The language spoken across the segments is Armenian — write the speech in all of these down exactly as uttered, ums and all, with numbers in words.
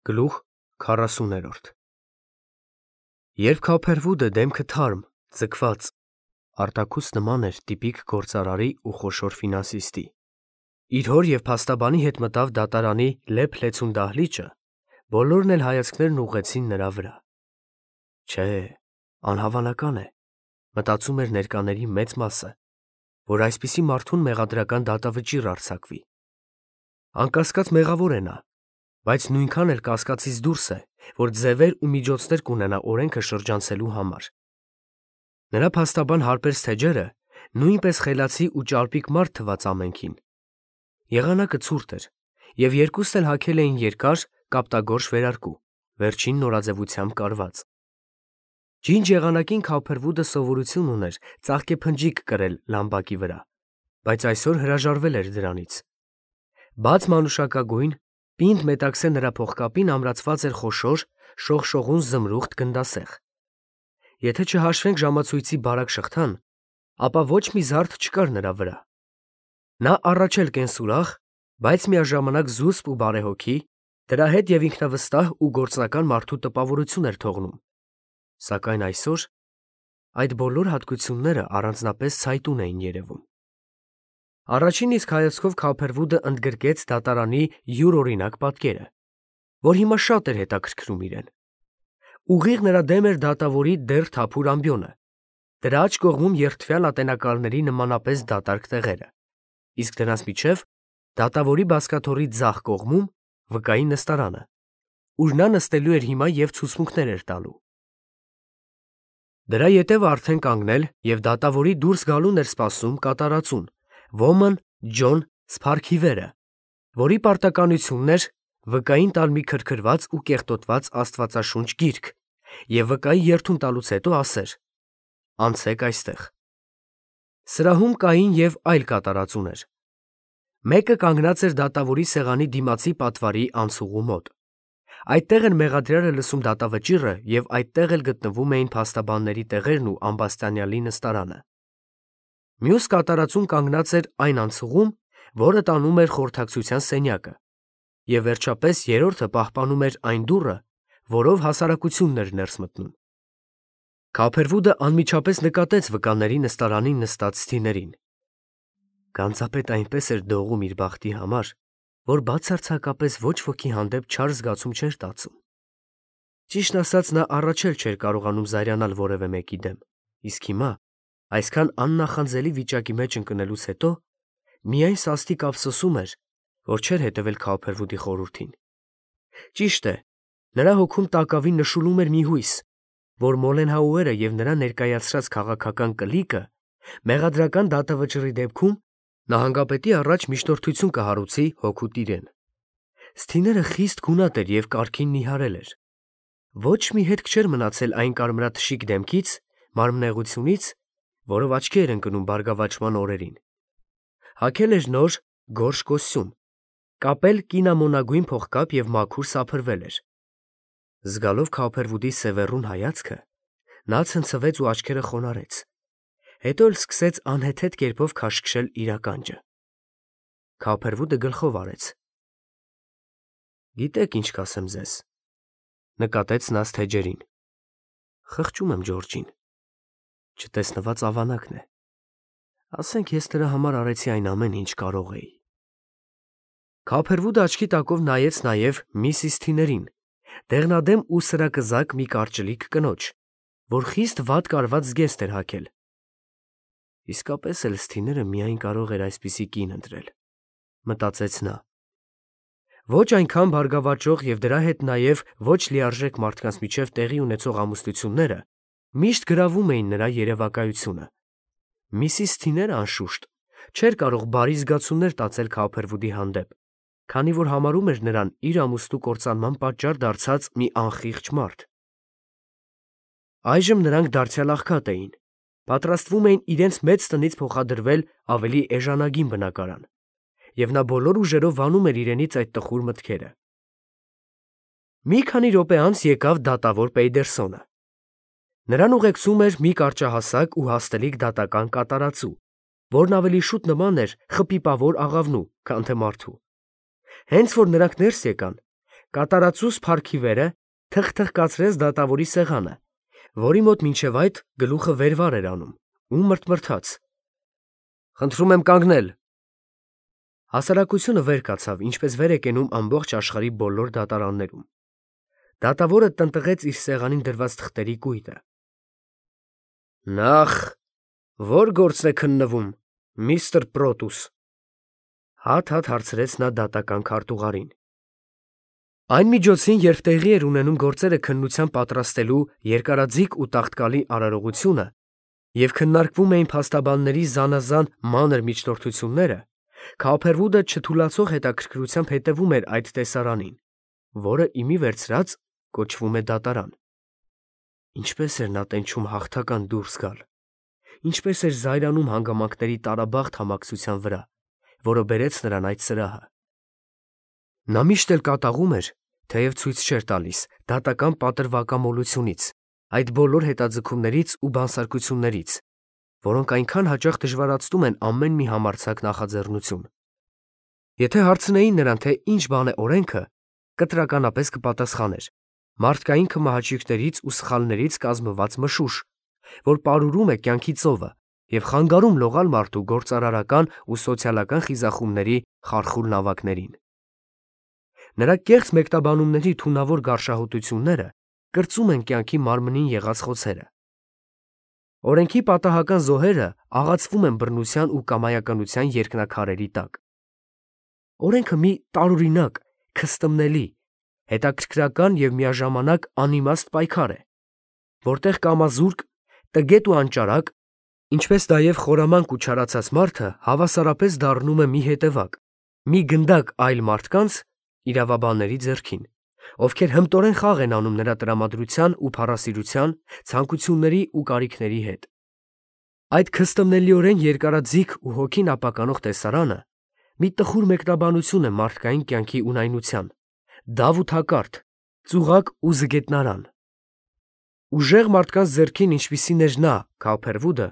Գլուխ քառասուներորդ Երբ Քափերվուդը դեմքը թարմ, ձգված, արտաքուց նման էր տիպիկ գործարարի ու խոշոր ֆինանսիստի, իր հոր և փաստաբանի հետ մտավ դատարանի լեփ-լեցուն դահլիճը, բոլորն էլ հայացքներն ուղղեցին նրա վրա։ Չէ, անհավանական է, մտածում էր ներկաների մեծ մասը, որ այսպիսի մարդուն մեղադրական դատավճիռ արձակվի։ Անկասկած մեղավոր է նա, բայց նույնքան էլ կասկածից դուրս է, որ ձևեր ու միջոցներ կունենա օրենքը շրջանցելու համար։ Նրա փաստաբան հարբեցրած թեջերը նույնպես խելացի ու ճարպիկ մարդ թվաց ամենքին։ Եղանակը ցուրտ էր, և երկուսն էլ հագել էին երկար, կապտագորշ վերարկու, վերջին նորաձևությամբ կարված։ Ջինջ եղանակին Քափերվուդը սովորություն ուներ ծաղկեփնջիկ կրել լամբակի վրա, բայց այսօր հրաժարվել էր դրանից։ Բաց մանուշակագույն, պինդ մետաքսե նրա փողկապին ամրացված էր խոշոր, շողշողուն զմրուխտ գնդասեղ։ Եթե չհաշվենք ժամացույցի բարակ շղթան, ապա ոչ մի զարդ չկար նրա վրա։ Նա առաջ էլ կենսուրախ, բայց միաժամանակ զուսպ ու բարեհոգի, դրա հետ և ինքնավստահ ու գործնական մարդու տպավորություն էր թողնում, սակայն այսօր այդ բոլոր հատկությունները առանձնապես ցայտուն էին երևում։ Առաջին իսկ հայացքով Քափերվուդը ընդգրկեց դատարանի յուրօրինակ պատկերը, որ հիմա շատ էր հետաքրքրում իրեն։ Ուղիղ նրա դեմ էր դատավորի դեռ թափուր ամբիոնը, դրա աջ կողմում երդվյալ ատենակալների նմանապես դատարկ տեղերը, իսկ դրանց միջև դատավորի բազկաթոռի ձախ կողմում վկայի նստարանը, ուր նա նստելու էր հիմա և ցուցմունքներ էր տալու։ Դրա ետևը արդեն կանգնել և դատավորի դուրս գալուն էր սպասում կատարածուն, ոմն Ջոն Սփարքիվերը, որի պարտականությունն էր վկային տալ մի քրքրված ու կեղտոտված աստվածաշունչ գիրք և վկայի երդում տալուց հետո ասեր. «Անցեք այստեղ»։ Սրահում կային և այլ կատարածուներ։ Մեկը կանգնած էր դատավորի սեղանի դիմացի պատվարի անցուղու մոտ։ Այդտեղ էր մեղադրյալը լսում դատավճիռը և այդտեղ էլ գտնվում էին փաստաբանների տեղերն ու ամբաստանյալի նստարանը։ Մյուս կատարածուն կանգնած էր այն անցուղում, որը տանում էր խորհրդակցության սենյակը, և վերջապես երրորդը պահպանում էր այն դուռը, որով հասարակությունն էր ներս մտնում։ Քափերվուդը անմիջապես նկատեց վկաների նստարանին նստած սթիներին։ Գանձապետը այնպես էր դողում իր բախտի համար, որ բացարձակապես ոչ ոքի հանդեպ չար զգացում չէր տածում։ Ճիշտն ասած, նա առաջ էլ չէր կարողանում զայրանալ որևէ մեկի դեմ, իսկ հիմա, այսքան աննախանձելի վիճակի մեջ ընկնելուց հետո, միայն սաստիկ ափսոսում էր, որ չէր հետևել Քափերվուդի խորհրդին։ Ճիշտ է, նրա հոգում տակավին նշուլում էր մի հույս, որ Մոլենհաուերը և նրա ներկայացրած քաղաքական կլիկը մեղադրական դատավճիռի դեպքում նահանգապետի առաջ միջնորդություն կհարուցի հօգուտ իրեն։ Սթիները խիստ գունատ էր և կարգին նիհարել էր։ Ոչ մի հետք չէր մնացել այն կարմրաթշիկ դեմքից, մարմնեղությունից, որով աչքի էր ընկնում բարգավաճման օրերին։ Հագել էր նոր, գորշ կոստյում, կապել կինամոնագույն փողկապ և մաքուր սափրվել էր։ Զգալով Քափերվուդի սևեռուն հայացքը, նա ցնցվեց ու աչքերը խոնարհեց, հետո էլ սկսեց անհեթեթ կերպով քաշքշել իր ականջը։ Քափերվուդը գլխով արեց։ «Գիտեք, ինչ կասեմ ձեզ», ֊ նկատեց նա սթեջերին։ «Խղճում եմ Ջորջին։ Չտեսնված ավանակն է։ Ասենք ես նրա համար արեցի այն ամենը, ինչ կարող էի»։ Քափերվուդը աչքի տակով նայեց նաև միսիս Սթիներին, դեղնադեմ ու սրակզակ մի կարճլիկ կնոջ, որ խիստ վատ կարված զգեստ էր հագել։ Իսկապես էլ Սթիները միայն կարող էր այսպիսի կին ընտրել, մտածեց նա։ Ոչ այնքան բարգավաճող և դրա հետ նաև ոչ լիարժեք մարդկանց միջև տեղի ունեցող ամուսնությունները միշտ գրավում էին նրա երևակայությունը։ Միսիս Սթիները, անշուշտ, չէր կարող բարի զգացումներ տածել Քափերվուդի հանդեպ, քանի որ համարում էր նրան իր ամուսնու կործանման պատճառ դարձած մի անխիղճ մարդ։ Այժմ նրանք դարձյալ աղքատ էին, պատրաստվում էին իրենց մեծ տնից փոխադրվել ավելի էժանագին բնակարան, և նա բոլոր ուժերով վանում էր իրենից այդ տխուր մտքերը։ Մի քանի րոպե անց եկավ դատավոր Պեյդերսոնը։ Նրան ուղեկցում էր մի կարճահասակ ու հաստլիկ դատական կատարածու, որն ավելի շուտ նման էր խպիպավոր աղավնու, քան թե մարդու։ Հենց որ նրանք ներս եկան, Կատարածու Սփարքիվերը թխ-թխ կացրեց դատավորի սեղանը, որի մոտ մինչև այդ գլուխը վեր-վար էր անում, ու մրթմրթաց. «Խնդրում եմ կանգնել»։ Հասարակությունը վեր կացավ, ինչպես վեր է կենում ամբողջ աշխարհի բոլոր դատարաններում։ Դատավորը տնտղեց իր սեղանին դրված թղթերի կույտը։ «Նախ, ո՞ր գործն է քննվում, միստր Պրոտուս», հատ-հատ հարցրեց նա դատական քարտուղարին։ Այն միջոցին, երբ տեղի էր ունենում գործերը քննության պատրաստելու երկարաձիգ ու տաղտկալի արարողությունը և քննարկվում էին փաստաբանների զանազան մանր միջնորդությունները, Քոփերվուդը չթուլացող հետաքրքրությամբ հետևում էր այդ տեսարանին, որը իմի վերցրած կոչվում է դատարան։ Ինչպես էր նա տենչում հաղթական դուրս գալ, ինչպես էր զայրանում հանգամանքների տարաբաղտ համակցության վրա, որը բերեց նրան այդ սրահը։ Նա միշտ էլ կատաղում էր, թեև ցույց չէր տալիս, դատական պատրվակամոլությունից, այդ բոլոր հետաձգումներից ու բանսարկություններից, որոնք այնքան հաճախ դժվարացնում են ամեն մի համարձակ նախաձեռնություն։ Եթե հարցնեին նրան, թե ինչ բան է օրենքը, կտրականապես կպատասխաներ. մարդկային քմահաճույքներից ու սխալներից կազմված մշուշ, որ պարուրում է կյանքի ծովը և խանգարում լողալ մարդու գործարարական ու սոցիալական խիզախումների խարխուլ նավակներին։ Նրա կեղծ մեկնաբանումների թունավոր գարշահոտությունները կրծում են կյանքի մարմնին եղած խոցերը։ Օրենքի պատահական զոհերը աղացվում են բռնության ու կամայականության երկնաքարերի տակ։ Օրենքը մի տարօրինակ, քստմնելի, հետաքրքրական և միաժամանակ անիմաստ պայքար է, որտեղ կամազուրկ, տգետ ու անճարակ, ինչպես նաև խորամանկ ու չարացած մարդը հավասարապես դառնում է մի հետևակ, մի գնդակ այլ մարդկանց իրավաբանների ձեռքին, ովքեր հմտորեն խաղ են անում նրա տրամադրության ու փառասիրության, ցանկությունների ու կարիքների հետ։ Այդ քստմնելիորեն երկարաձիգ ու հոգին ապականող տեսարանը մի տխուր մեկնաբանություն է մարդկային կյանքի ունայնության, դավ ու թակարդ, ծուղակ ու զգետնարան։ Ուժեղ մարդկանց ձեռքին, ինչպիսին էր նա, Քոփերվուդը,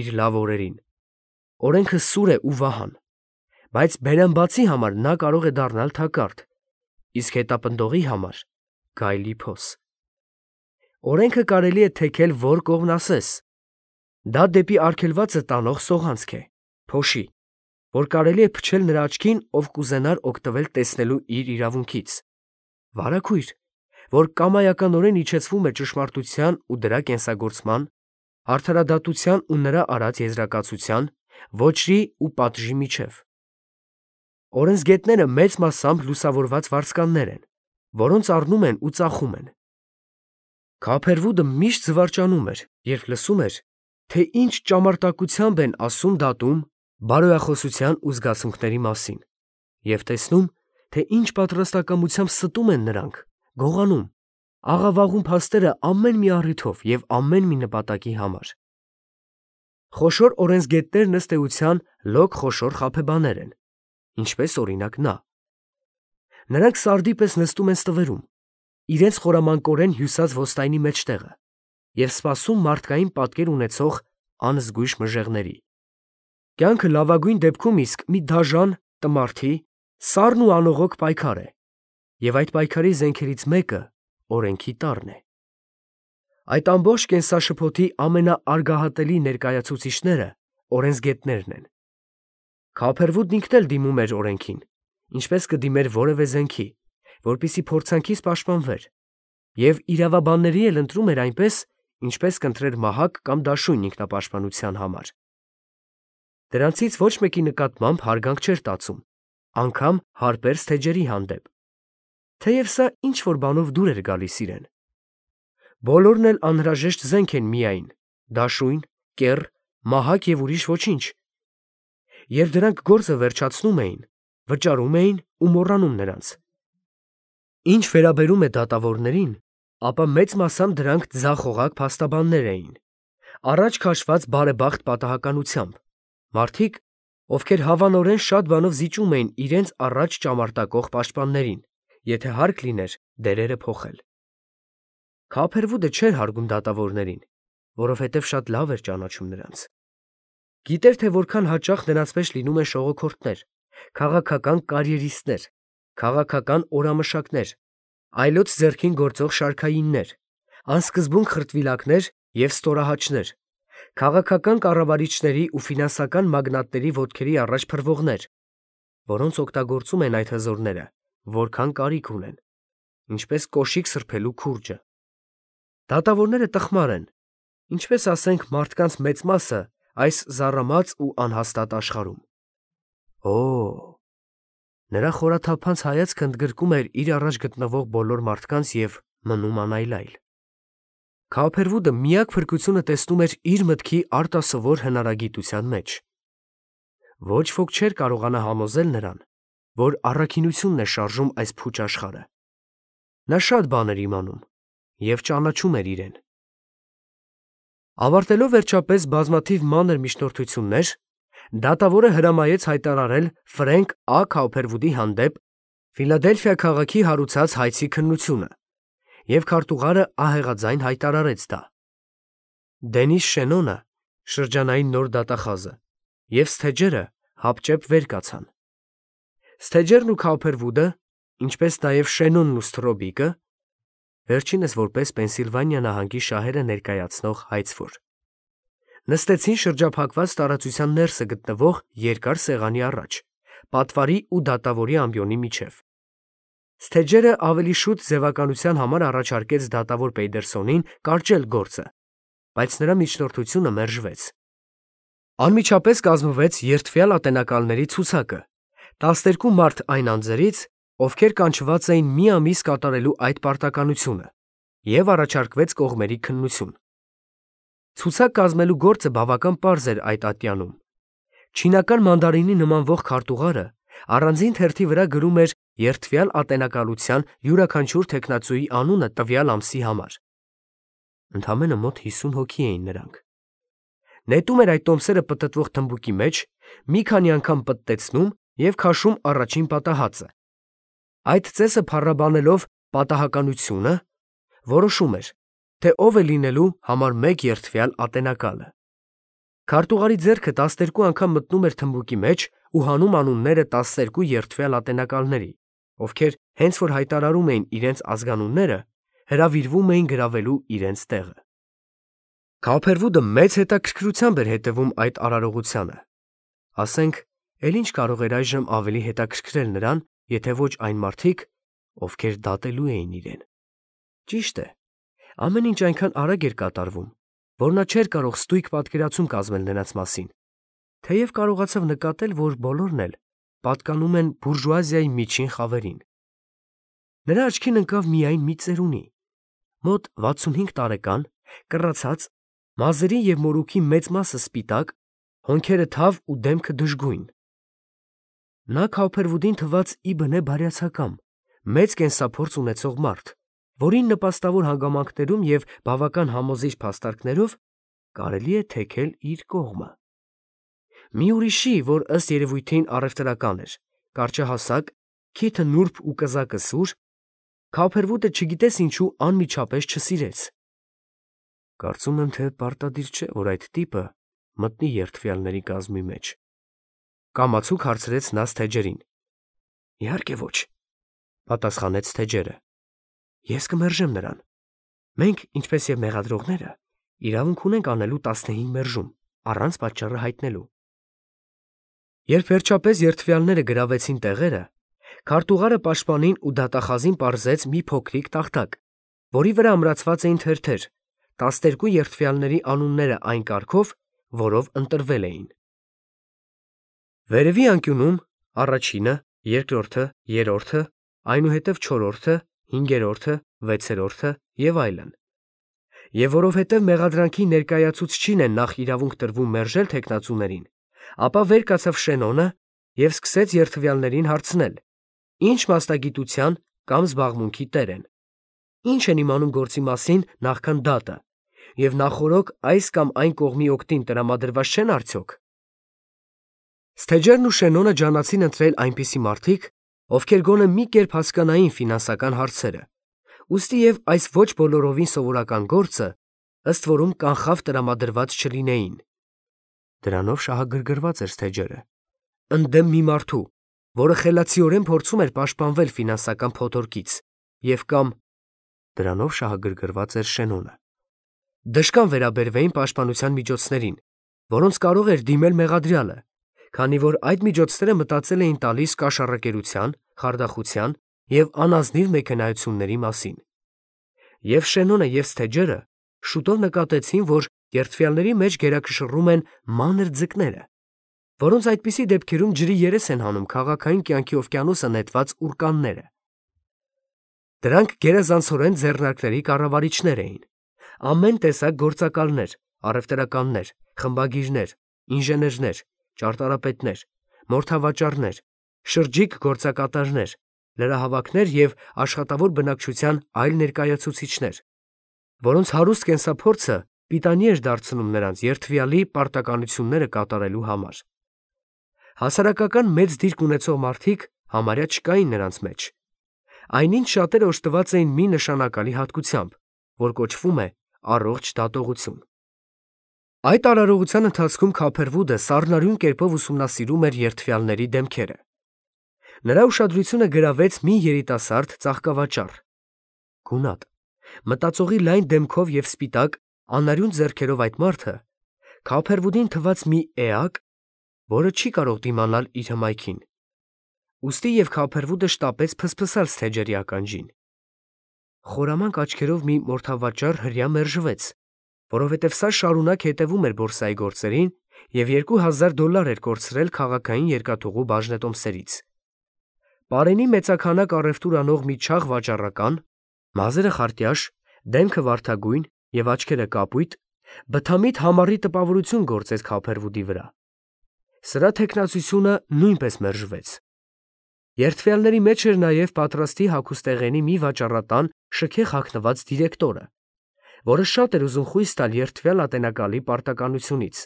իր լավ օրերին, օրենքը սուր է ու վահան, բայց բերամբացի համար նա կարող է դառնալ թակարդ, իսկ հետապնդողի համար գայլի փոս։ Օրենքը կարելի է թեքել որ կողմն ասես։ Դա դեպի արգելվածը տանող սողանցք է, փոշի, որ կարելի է փչել նրա աչքին, ով կուզենար օգտվել տեսնելու իր իրավունքից, վարագույր, որ կամայականորեն իջեցվում է ճշմարտության ու դրա կենսագործման, արդարադատության ու նրա արած եզրակացության, ոճրի ու պատժի միջև։ Օրենսգետները մեծ մասամբ լուսավորված վարձկաններ են, որոնց առնում են ու ծախում են։ Քոփերվուդը միշտ զվարճանում էր, երբ լսում էր, թե ինչ ճամարտակությամբ են ասում դատում բարոյախոսության ու զգացմունքների մասին, և տեսնում, թե ինչ պատրաստակամությամբ ստում են նրանք, գողանում, աղավաղում փաստերը ամեն մի առիթով և ամեն մի նպատակի համար։ Խոշոր օրենսգետներն ըստ էության լոկ խոշոր խաբեբաներ են, ինչպես օրինակ նա։ Նրանք սարդի պես նստում են ստվերում, իրենց խորամանկորեն հյուսած ոստայնի մեջտեղը և սպասում մարդկային պատկեր ունեցող անզգույշ մժեղների։ Կյանքը լավագույն դեպքում իսկ մի դաժան, տմարդի, սառն ու անողոք պայքար է, և այդ պայքարի զենքերից մեկը օրենքի տառն է։ Այդ ամբողջ կենսաշփոթի ամենաարգահատելի ներկայացուցիչները օրենսգետներն են։ Քոփերվուդն ինքն էլ դիմում էր օրենքին, ինչպես կդիմեր որևէ զենքի, որպեսզի փորձանքից պաշտպանվեր, և իրավաբանների էլ ընտրում էր այնպես, ինչպես կընտրեր մահակ կամ դաշույն ինքնապաշտպանության համար։ Դրանցից ոչ մեկի նկատմամբ հարգանք չէր տածում, անգամ հարբերձ թեջերի հանդեպ, թեև սա ինչ-որ բանով դուր էր գալիս իրեն։ Բոլորն էլ անհրաժեշտ զենք են միայն, դաշույն, կեռ, մահակ և ուրիշ ոչինչ։ Երբ դրանք գործը վերջացնում էին, վճարում էին ու մոռանում նրանց։ Ինչ վերաբերում է դատավորներին, ապա մեծ մասամբ դրանք ձախողակ փաստաբաններ էին, առաջ քաշված բարեբախտ պատահականությամբ, մարդիկ, ովքեր հավանորեն շատ բանով զիջում էին իրենց առաջ ճամարտակող պաշտպաններին, եթե հարկ լիներ դերերը փոխել։ Քոփերվուդը չէր հարգում դատավորներին, որովհետև շատ լավ էր ճանաչում նրանց։ Գիտեր, թե որքան հաճախ նրանց մեջ լինում են շողոքորթներ, քաղաքական կարիերիստներ, քաղաքական օրամշակներ, այլոց ձեռքին գործող շարքայիններ, անսկզբուն խրտվիլակներ և ստորահաճներ, քաղաքական կառավարիչների ու ֆինանսական մագնատների ոտքերի առաջ փռվողներ, որոնց օգտագործում են այդ հզորները, որքան կարիք ունեն, ինչպես կոշիկ սրբելու քուրջը։ Դատավորները տխմար են, ինչպես ասենք մարդկանց մեծ մասը այս զառամած ու անհաստատ աշխարհում։ Օ՜, նրա խորաթափանց հայացքը ընդգրկում էր իր առաջ գտնվող բոլոր մարդկանց և մնում անայլայլ։ Քոփերվուդը միակ փրկությունը տեսնում էր իր մտքի արտասովոր հնարագիտության մեջ։ Ոչ ոք չէր կարողանա համոզել նրան, որ առաքինությունն է շարժում այս փուչ աշխարհը։ Նա շատ բան էր իմանում և ճանաչում էր իրեն։ Ավարտելով վերջապես բազմաթիվ մանր միջնորդություններ, դատավորը հրամայեց հայտարարել Ֆրենկ Ա. Քոփերվուդի հանդեպ Ֆիլադելֆիա քաղաքի հարուցած հայցի քննությունը, և քարտուղարը ահեղաձայն հայտարարեց դա։ Դենիս Շենոնը, շրջանային նոր դատախազը, և Սթեջերը հապճեպ վեր կացան։ Սթեջերն ու Քոփերվուդը, ինչպես նաև Շենոնն ու Սթրոբիկը, վերջինս որպես Պենսիլվանիա նահանգի շահերը ներկայացնող հայցվոր, նստեցին շրջափակված տարածության ներսը գտնվող երկար սեղանի առաջ, պատվարի ու դատավորի ամբիոնի միջև։ Սթեջերը ավելի շուտ ձևականության համար առաջարկեց դատավոր Պեյդերսոնին կարճել գործը, բայց նրա միջնորդությունը մերժվեց։ Անմիջապես կազմվեց երդվյալ ատենակալների ցուցակը, տասներկու մարդ այն անձերից, ովքեր կանչված էին մի ամիս կատարելու այդ պարտականությունը, և առաջարկվեց կողմերի քննություն։ Ցուցակ կազմելու գործը բավական պարզ էր այդ ատյանում։ Չինական մանդարինի նմանվող քարտուղարը առանձին թերթի վրա գրում էր երդվյալ ատենակալության յուրաքանչյուր թեկնածուի անունը տվյալ ամսի համար։ Ընդամենը մոտ հիսուն հոգի էին նրանք։ Նետում էր այդ տոմսերը պտտվող թմբուկի մեջ, մի քանի անգամ պտտեցնում և քաշում առաջին պատահածը։ Այդ ծեսը փառաբանելով պատահականությունը, որոշում էր, թե ով է լինելու համար մեկ երդվյալ ատենակալը։ Քարտուղարի ձեռքը տասներկու անգամ մտնում էր թմբուկի մեջ ու հանում անունները տասներկու երդվյալ ատենակալների, ովքեր հենց որ հայտարարում էին իրենց ազգանունները, հրավիրվում էին գրավելու իրենց տեղը։ Քոփերվուդը մեծ հետաքրքրությամբ էր հետևում այդ արարողությանը։ Ասենք, էլ ինչ կարող էր այժմ ավելի հետաքրքրել նրան, եթե ոչ այն մարդիկ, ովքեր դատելու էին իրեն։ Ճիշտ է, ամեն ինչ այնքան արագ էր կատարվում, որ նա չէր կարող ստույգ պատկերացում կազմել նրանց մասին, թեև կարողացավ նկատել, որ բոլորն էլ պատկանում են բուրժուազիայի միջին խավերին։ Նրա աչքին ընկավ միայն մի ծերունի, մոտ վաթսունհինգ տարեկան, կռացած, մազերի և մորուքի մեծ մասը սպիտակ, հոնքերը թավ ու դեմքը դժգույն։ Նա Քոփերվուդին թվաց ի բնե բարյացակամ, մեծ կենսափորձ ունեցող մարդ, որին նպաստավոր հանգամանքներում և բավական համոզիչ փաստարկներով կարելի է թեքել իր կողմը։ Մի ուրիշի, որ ըստ երևույթին առևտրական էր, կարճահասակ, քիթը նուրբ ու կզակը սուր, Քոփերվուդը չգիտես ինչու անմիջապես չսիրեց։ Կարծում եմ, թե պարտադիր չէ, որ այդ տիպը մտնի երդվյալների կազմի մեջ, կամացուկ հարցրեց նա Սթեջերին։ Իհարկե ոչ, պատասխանեց Սթեջերը։ Ես կմերժեմ նրան։ Մենք, ինչպես և մեղադրողները, իրավունք ունենք անելու տասնհինգ մերժում, առանց պատճառը հայտնելու։ Երբ վերջապես երդվյալները գրավեցին տեղերը, քարտուղարը պաշտպանին ու դատախազին պարզեց մի փոքրիկ տախտակ, որի վրա ամրացված էին թերթեր, տասներկու երդվյալների անունները այն կարգով, որով ընտրվել էին։ Վերևի անկյունում առաջինը, երկրորդը, երրորդը, այնուհետև չորրորդը, հինգերորդը, վեցերորդը և այլն։ Եվ որովհետև մեղադրանքի ներկայացուցչին է նախ իրավունք տրվում մերժել թեկնածուներին, ապա վեր կացավ Շենոնը և սկսեց երդվյալներին հարցնել, ինչ մասնագիտության կամ զբաղմունքի տեր են, ինչ են իմանում գործի մասին նախքան դատը, և նախօրոք այս կամ այն կողմի օգտին տրամադրված չեն արդյոք։ Սթեջերն ու Շենոնը ջանացին ընտրել այնպիսի մարդիկ, ովքեր գոնե մի կերպ հասկանային ֆինանսական հարցերը, ուստի և այս ոչ բոլորովին սովորական գործը, ըստ որում կանխավ տրամադրված չլինեին։ Դրանով շահագրգռված էր Սթեջերը, ընդդեմ մի մարդու, որը խելացիորեն փորձում էր պաշտպանվել ֆինանսական փոթորկից և կամ դրանով շահագրգռված էր Շենոնը։ Դժկան վերաբերվեին պաշտպանության միջոցներին, որոնց կարող էր դիմել մեղադրյալը, քանի որ այդ միջոցները մտածել էին տալիս կաշառակերության, խարդախության և անազնիվ մեքենայությունների մասին։ Եվ Շենոնը և Սթեջերը շուտով նկատեցին, որ երդվյալների մեջ գերակշռում են մանր ձկները, որոնց այդպիսի դեպքերում ջրի երես են հանում քաղաքային կյանքի օվկիանոսը նետված ուռկանները։ Դրանք գերազանցորեն ձեռնարկների կառավարիչներ էին, ամեն տեսակ գործակալներ, առևտրականներ, խմբագիրներ, ինժեներներ, ճարտարապետներ, մորթավաճառներ, շրջիկ գործակատարներ, լրահավաքներ և աշխատավոր բնակչության այլ ներկայացուցիչներ, որոնց հարուստ կենսափորձը պիտանի էր դարձնում նրանց երդվյալի պարտականությունները կատարելու համար։ Հասարակական մեծ դիրք ունեցող մարդիկ համարյա չկային նրանց մեջ։ Այնինչ շատերը օժտված էին մի նշանակալի հատկությամբ, որ կոչվում է առողջ դատողություն։ Այդ արարողության ընթացքում Քափերվուդը սառնարյուն կերպով ուսումնասիրում էր երդվյալների դեմքերը։ Նրա ուշադրությունը գրավեց մի երիտասարդ ծաղկավաճառ, գունատ, մտածողի լայն դեմքով և սպիտակ, անարյուն ձեռքերով այդ մարդը Քափերվուդին թվաց մի էակ, որը չի կարող դիմանալ իր հմայքին։ Ուստի և Քափերվուդը շտապեց փսփսալ Սթեջերի ականջին։ Խորամանկ աչքերով մի մորթավաճառ հրեա մերժվեց, որովհետև սա շարունակ հետևում էր բորսայի գործերին և երկու հազար դոլար էր կորցրել քաղաքային երկաթուղու բաժնետոմսերից։ Պարենի մեծաքանակ առևտուր անող մի չաղ վաճառական, մազերը խարտյաշ, դեմքը վարդագույն և աչքերը կապույտ, բթամիտ համառի տպավորություն գործեց Քափերվուդի վրա։ Սրա թեկնածությունը նույնպես մերժվեց։ Երդվյալների մեջ էր նաև պատրաստի հագուստեղենի մի վաճառատան շքեղ հագնված դիրեկտորը, որը շատ էր ուզում խույս տալ երդվյալ ատենակալի պարտականությունից,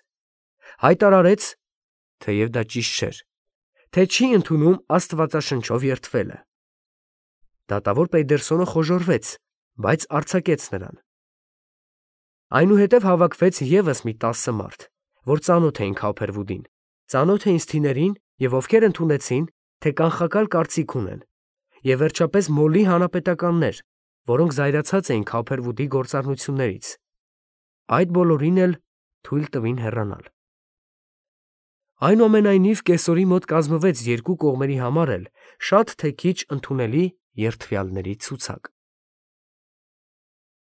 հայտարարեց, թեև դա ճիշտ չէր, թե չի ընդունում աստվածաշնչով երդվելը։ Դատավոր Պեյդերսոնը խոժոռվեց, բայց արձակեց նրան։ Այնուհետև հավաքվեց ևս մի տասը մարդ, որ ծանոթ էին Քափերվուդին, ծանոթ էին Սթիներին և ովքեր ընդունեցին, թե կանխակալ կարծիք ունեն, և վերջապես մոլի հանապետականներ, որոնք զայրացած էին Քափերվուդի գործառնություններից, այդ բոլորին էլ թույլ տվին հեռանալ։ Այնուամենայնիվ կեսօրի մոտ կազմվեց երկու կողմերի համար էլ շատ թե քիչ ընդունելի երդվյալների ցուցակ։